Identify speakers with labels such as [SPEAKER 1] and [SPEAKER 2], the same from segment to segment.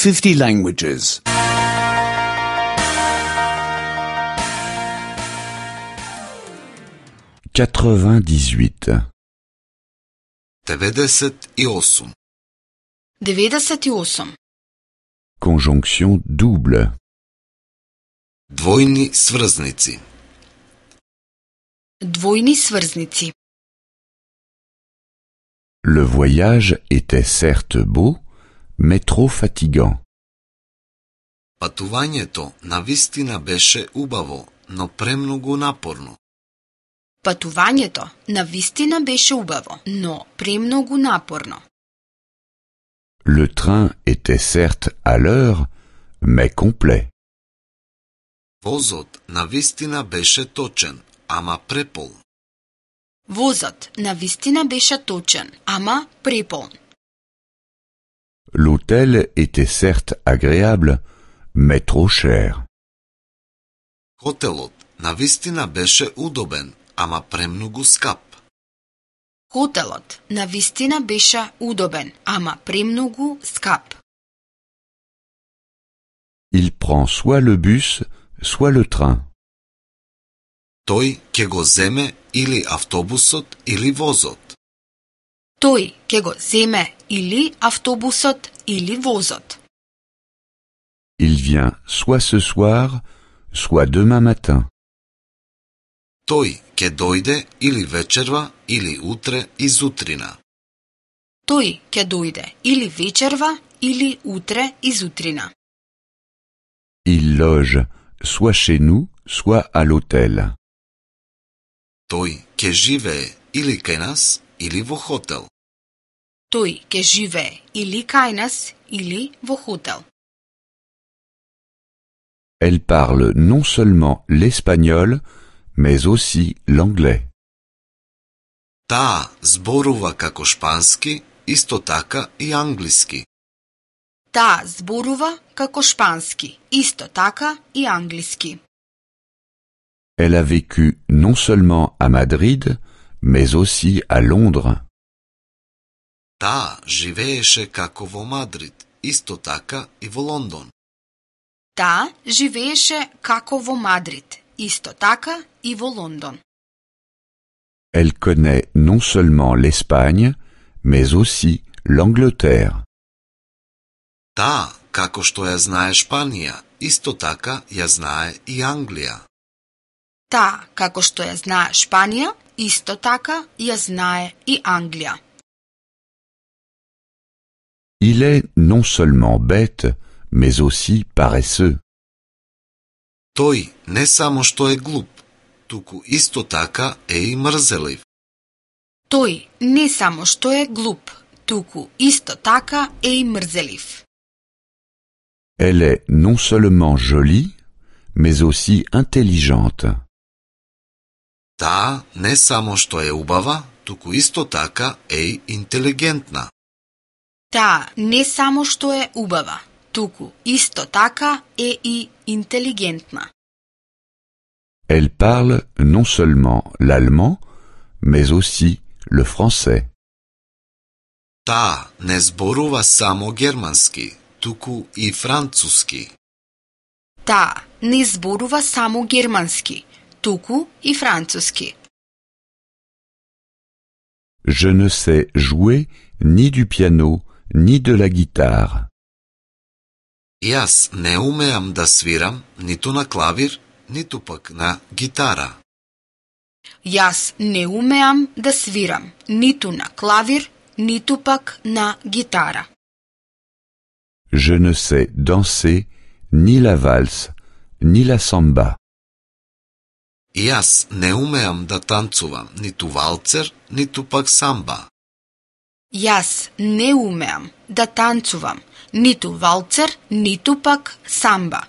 [SPEAKER 1] 50 languages.
[SPEAKER 2] 98.
[SPEAKER 3] 98.
[SPEAKER 4] 98.
[SPEAKER 2] Conjonction double.
[SPEAKER 3] Двојни сврзници.
[SPEAKER 4] Двојни сврзници.
[SPEAKER 2] Le voyage était certes beau, mais trop fatigant.
[SPEAKER 3] Патувањето навистина беше убаво, но премногу напорно.
[SPEAKER 4] Патувањето навистина беше убаво, но премногу напорно.
[SPEAKER 2] Le train était certes à l'heure, mais complet.
[SPEAKER 3] Возот навистина беше точен, ама препол.
[SPEAKER 4] Возот навистина беше точен, ама преполн.
[SPEAKER 2] L'hôtel était certes agréable, mais trop cher.
[SPEAKER 3] Хотелот навистина беше удобен, ама премногу скап.
[SPEAKER 4] Хотелот навистина беше удобен, ама премногу скап.
[SPEAKER 2] Il prend soit le bus, soit le train.
[SPEAKER 3] Тој ќе го земе или автобусот или возот.
[SPEAKER 4] Тој ќе го земе или автобусот или возот.
[SPEAKER 2] Il vient soit ce soir, soit demain matin.
[SPEAKER 3] Тој ќе дојде или вечерва или утре изутрина.
[SPEAKER 4] Тој ќе дојде или вечерва или утре изутрина.
[SPEAKER 2] Il loge soit chez nous, soit à l'hôtel.
[SPEAKER 3] Тој ќе живее или кај нас или во хотел.
[SPEAKER 4] Тој ќе живее или кај нас или во хотел.
[SPEAKER 2] Elle parle non seulement l'espagnol, mais aussi l'anglais.
[SPEAKER 3] Таа зборува како шпански, исто така и англиски.
[SPEAKER 4] Таа зборува како шпански, исто така и англиски.
[SPEAKER 2] Elle a vécu non seulement à Madrid, mais aussi à Londres.
[SPEAKER 3] Таа живееше како во Мадрид, исто така и во Лондон.
[SPEAKER 4] Таа живееше како во Мадрид, исто така и во Лондон.
[SPEAKER 2] Elle connaît non seulement l'Espagne, mais aussi l'Angleterre.
[SPEAKER 3] Таа, како што ја знае Шпанија, исто така ја знае и Англија.
[SPEAKER 4] Таа, како што ја знае Шпанија, исто така ја знае и Англија.
[SPEAKER 2] Il est non seulement bête, mais aussi paresseux.
[SPEAKER 3] Тој не само што е глуп, туку исто така е и мрзелив.
[SPEAKER 4] Тој не само што е глуп, туку исто така е и мрзелив.
[SPEAKER 2] Elle est non seulement jolie, mais aussi intelligente.
[SPEAKER 3] Таа не само што е убава, туку исто така е и интелигентна.
[SPEAKER 4] Таа не само што е убава, туку исто така е и интелигентна.
[SPEAKER 2] Elle parle non seulement l'allemand, mais aussi le français.
[SPEAKER 3] Таа не зборува само германски, туку и француски.
[SPEAKER 4] Таа не зборува само германски, туку и француски.
[SPEAKER 2] Je ne sais jouer ni du piano, ni de la guitare.
[SPEAKER 3] Јас не умеам да свирам ниту на клавир, ниту пак на гитара.
[SPEAKER 4] Јас не умеам да свирам ниту на клавир, ниту пак на гитара.
[SPEAKER 2] Je ne sais danser ni la valse, ni la samba.
[SPEAKER 3] Јас не умеам да танцувам ниту валцер, ниту пак самба.
[SPEAKER 4] Јас не умеам да танцувам ниту валцер, ниту пак самба.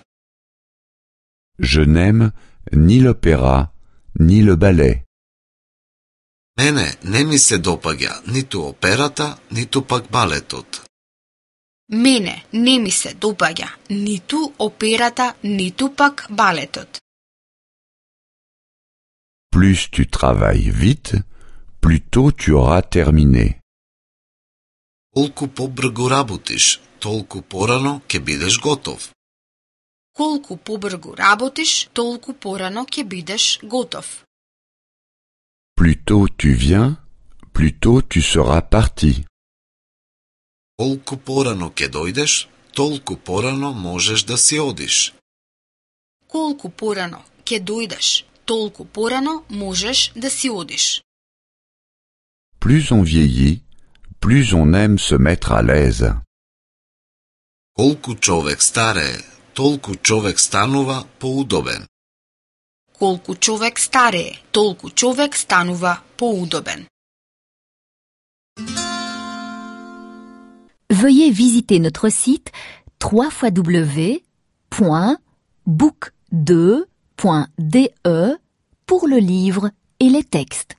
[SPEAKER 2] Je n'aime ni l'opéra, ni le ballet.
[SPEAKER 3] Мене не ми се допаѓа ниту операта, ниту пак балетот.
[SPEAKER 4] Мене не ми се допаѓа ниту операта, ниту пак балетот.
[SPEAKER 2] Plus tu travailles vite, plus tôt tu auras terminé.
[SPEAKER 3] Колку побрзо работиш, толку порано ќе бидеш готов.
[SPEAKER 4] Колку побрзо работиш, толку порано ќе бидеш готов.
[SPEAKER 2] Plus tôt tu viens, plus tôt tu seras parti.
[SPEAKER 3] Колку порано ќе дојдеш, толку порано можеш да си одиш.
[SPEAKER 4] Колку порано ќе дојдеш, толку порано можеш да си одиш.
[SPEAKER 2] Plus on vieillit, plus on aime se mettre à l'aise.
[SPEAKER 3] Колку човек старее, толку човек станува поудобен.
[SPEAKER 4] Колку човек старее, толку човек станува поудобен.
[SPEAKER 1] Veuillez visiter notre site www.book2.de pour le livre et les textes.